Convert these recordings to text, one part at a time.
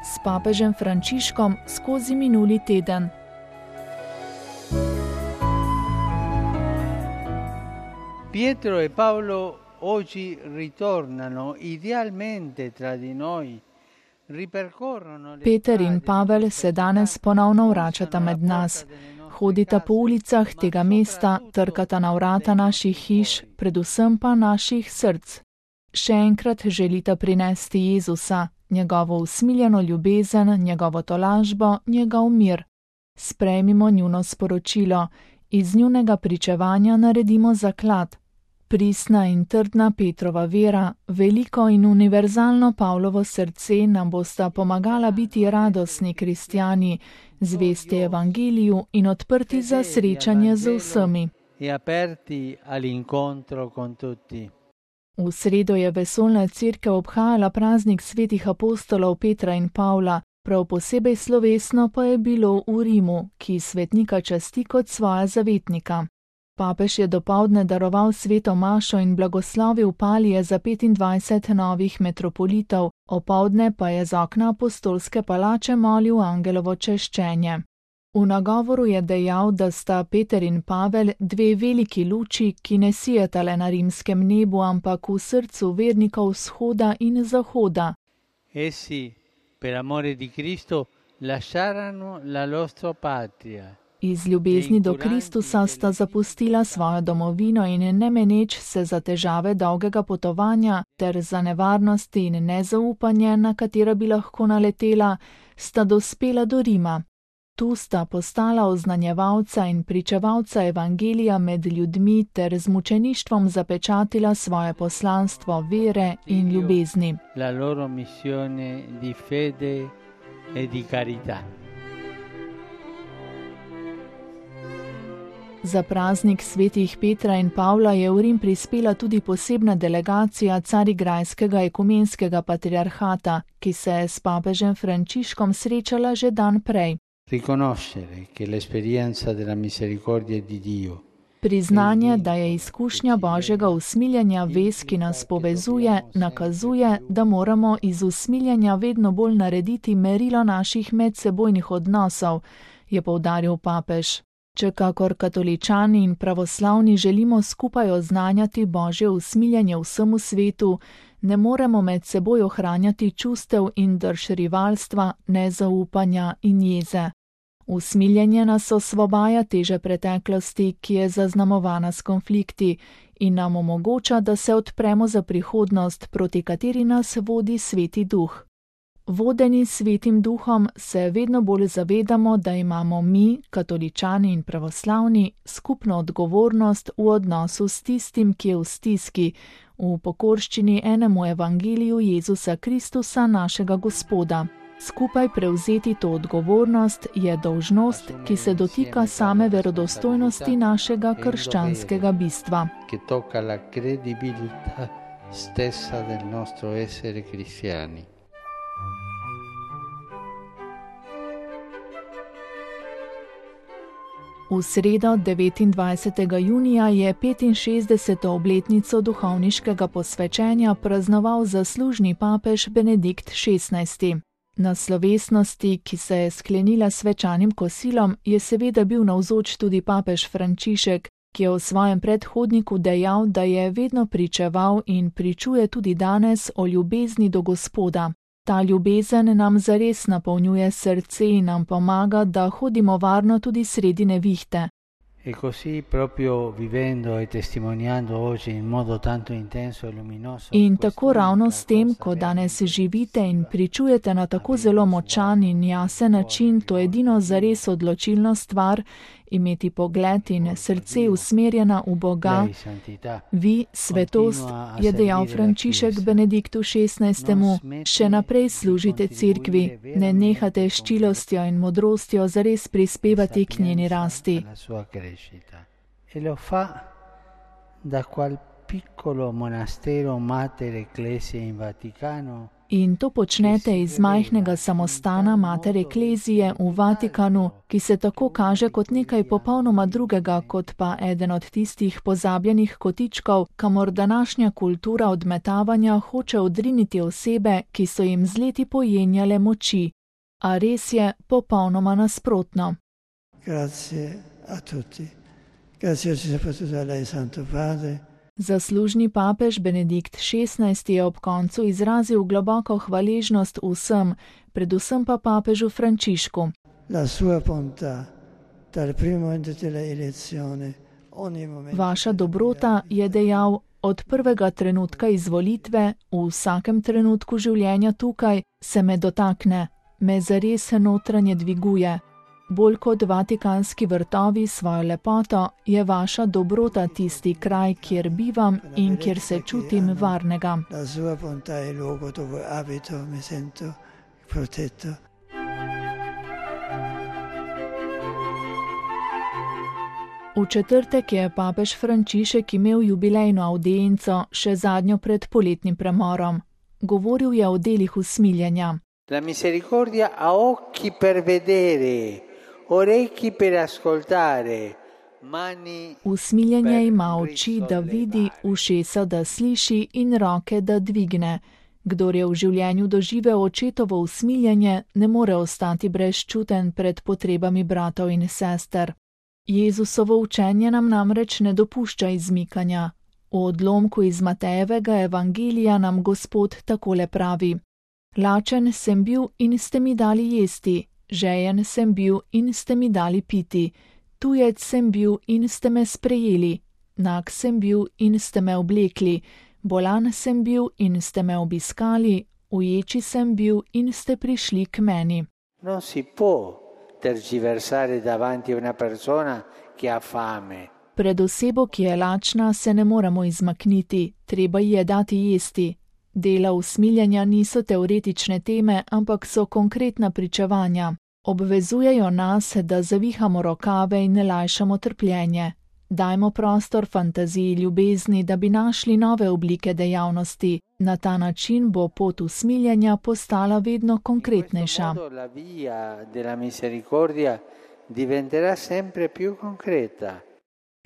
s papežem Frančiškom skozi minuli teden. Pietro e Paolo oggi ritornano idealmente tra di noi. Peter in Pavel se danes ponovno vračata med nas. Hodita po ulicah tega mesta, trkata na vrata naših hiš, predvsem pa naših src. Še enkrat želita prinesti Jezusa, njegovo usmiljeno ljubezen, njegovo tolažbo, njegov mir. Sprejmimo njuno sporočilo, iz njunega pričevanja naredimo zaklad. Pristna in trdna Petrova vera, veliko in univerzalno Pavlovo srce nam bosta pomagala biti radostni kristjani, zvesti evangeliju in odprti za srečanje z vsemi. V sredo je vesoljna cerkev obhajala praznik svetih apostolov Petra in Pavla, prav posebej slovesno pa je bilo v Rimu, ki svetnika časti kot svoja zavetnika. Papež je dopoldne daroval sveto mašo in blagoslovil palije za 25 novih metropolitov, opoldne pa je z okna apostolske palače molil angelovo češčenje. V nagovoru je dejal, da sta Peter in Pavel dve veliki luči, ki ne sijeta le na rimskem nebu, ampak v srcu vernikov vzhoda in zahoda. Essi, per amore di Cristo, lasciarono la loro patria. Iz ljubezni do Kristusa sta zapustila svojo domovino in ne meneč se za težave dolgega potovanja ter za nevarnosti in nezaupanje, na katera bi lahko naletela, sta dospela do Rima. Tu sta postala oznanjevalca in pričevalca evangelija med ljudmi ter z mučeništvom zapečatila svoje poslanstvo vere in ljubezni. La loro missione di fede e di carità. Za praznik svetih Petra in Pavla je v Rim prispela tudi posebna delegacija Carigrajskega ekumenskega patriarhata, ki se je s papežem Frančiškom srečala že dan prej. Priznanje, da je izkušnja Božjega usmiljenja vez, ki nas povezuje, nakazuje, da moramo iz usmiljenja vedno bolj narediti merilo naših medsebojnih odnosov, je poudaril papež. Če kakor katoličani in pravoslavni želimo skupaj oznanjati Božje usmiljenje vsemu svetu, ne moremo med seboj ohranjati čustev in drž rivalstva, nezaupanja in jeze. Usmiljenje nas osvobaja teže preteklosti, ki je zaznamovana s konflikti, in nam omogoča, da se odpremo za prihodnost, proti kateri nas vodi Sveti Duh. Vodeni Svetim Duhom se vedno bolj zavedamo, da imamo mi, katoličani in pravoslavni, skupno odgovornost v odnosu s tistim, ki je v stiski, v pokorščini enemu evangeliju Jezusa Kristusa, našega Gospoda. Skupaj prevzeti to odgovornost je dolžnost, ki se dotika same verodostojnosti našega krščanskega bistva. Ki toka la credibilità stessa del nostro essere cristiani. V sredo 29. junija je 65. obletnico duhovniškega posvečenja praznoval zaslužni papež Benedikt XVI. Na slovesnosti, ki se je sklenila svečanim kosilom, je seveda bil navzoč tudi papež Frančišek, ki je v svojem predhodniku dejal, da je vedno pričeval in pričuje tudi danes o ljubezni do Gospoda. Ta ljubezen nam zares napolnjuje srce in nam pomaga, da hodimo varno tudi sredi nevihte. E così proprio vivendo e testimoniando oggi in modo tanto intenso e luminoso. In tako ravno s tem, ko danes živite in pričujete na tako zelo močan in jasen način to edino zares odločilno stvar, imeti pogled in srce usmerjena v Boga. Vi, svetost, je dejal Frančišek Benediktu XVI., še naprej služite cerkvi, ne nehate s čilostjo in modrostjo zares prispevati k njeni rasti. E lo fa da qual piccolo monastero Mater Ecclesiae in Vaticano. In to počnete iz majhnega samostana Mater Ecclesiae v Vatikanu, ki se tako kaže kot nekaj popolnoma drugega, kot pa eden od tistih pozabljenih kotičkov, kamor današnja kultura odmetavanja hoče odriniti osebe, ki so jim z leti pojenjale moči. A res je popolnoma nasprotno. Grazie a tutti. Grazie soprattutto a lei, Santo Padre. Zaslužni papež Benedikt XVI je ob koncu izrazil globoko hvaležnost vsem, predvsem pa papežu Frančišku. Vaša dobrota, je dejal, od prvega trenutka izvolitve, v vsakem trenutku življenja tukaj, se me dotakne, me zares notranje dviguje. Bolj kot vatikanski vrtovi svojo lepoto, je vaša dobrota tisti kraj, kjer bivam in kjer se čutim varnega. V četrtek je papež Frančišek imel jubilejno avdienco, še zadnjo pred poletnim premorom. Govoril je o delih usmiljenja. La misericordia ha occhi per vedere, orecchi per ascoltare, mani. Usmiljenje ima oči, da vidi, ušesa, da sliši in roke, da dvigne. Kdor je v življenju doživel očetovo usmiljenje, ne more ostati brezčuten pred potrebami bratov in sester. Jezusovo učenje nam namreč ne dopušča izmikanja. V odlomku iz Matejevega evangelija nam Gospod takole pravi: Lačen sem bil in ste mi dali jesti, žejen sem bil in ste mi dali piti, tujec sem bil in ste me sprejeli, nag sem bil in ste me oblekli, bolan sem bil in ste me obiskali, uječi sem bil in ste prišli k meni. Non si può tergiversare davanti a una persona che ha fame. Pred osebo, ki je lačna, se ne moremo izmakniti, treba ji je dati jesti. Dela usmiljenja niso teoretične teme, ampak so konkretna pričevanja. Obvezujejo nas, da zavihamo rokave in lajšamo trpljenje. Dajmo prostor fantaziji ljubezni, da bi našli nove oblike dejavnosti. Na ta način bo pot usmiljenja postala vedno konkretnejša. La via della misericordia diventerà sempre più concreta.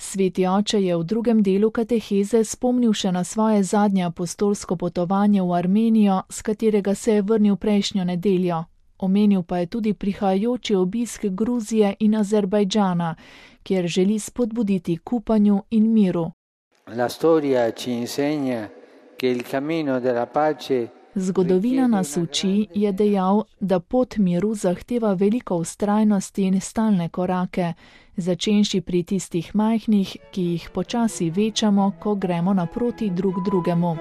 Sveti oče je v drugem delu kateheze spomnil še na svoje zadnje apostolsko potovanje v Armenijo, s katerega se je vrnil prejšnjo nedeljo. Omenil pa je tudi prihajajoči obisk Gruzije in Azerbajdžana, kjer želi spodbuditi k upanju in miru. La storia ci insegna che il cammino della pace. Zgodovina nas uči, je dejal, da pot miru zahteva veliko vztrajnosti in stalne korake, začenši pri tistih majhnih, ki jih počasi večamo, ko gremo naproti drug drugemu.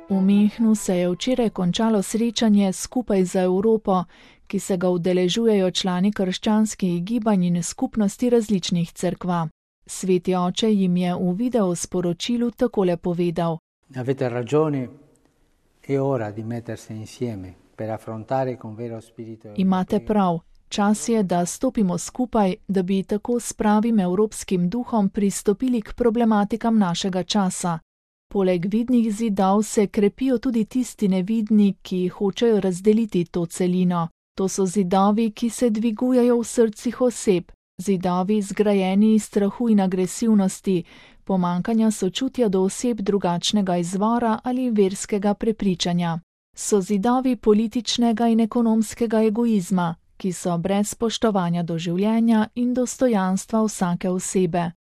V Münchnu se je včeraj končalo srečanje Skupaj za Evropo, ki se ga udeležujejo člani krščanskih gibanj in skupnosti različnih cerkva. Sveti oče jim je v video sporočilu takole povedal: Avete ragione, è ora di mettersi insieme per affrontare con vero spirito. Imate prav, čas je, da stopimo skupaj, da bi tako s pravim evropskim duhom pristopili k problematikam našega časa. Poleg vidnih zidov se krepijo tudi tisti nevidni, ki hočejo razdeliti to celino. To so zidovi, ki se dvigujejo v srcih oseb. Zidovi zgrajeni iz strahu in agresivnosti, pomankanja sočutja do oseb drugačnega izvora ali verskega prepričanja. So zidovi političnega in ekonomskega egoizma, ki so brez spoštovanja do življenja in dostojanstva vsake osebe.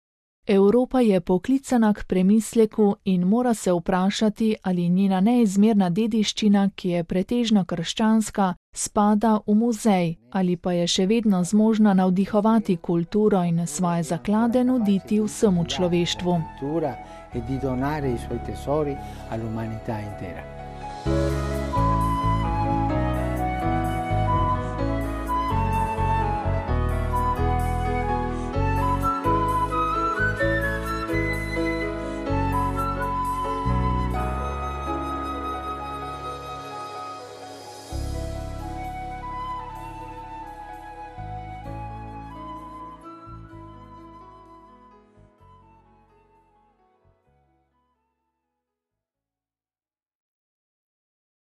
Evropa je poklicana k premisleku in mora se vprašati, ali njena neizmerna dediščina, ki je pretežno krščanska, spada v muzej ali pa je še vedno zmožna navdihovati kulturo in svoje zaklade nuditi vsemu človeštvu. E di donare i suoi tesori all'umanità intera.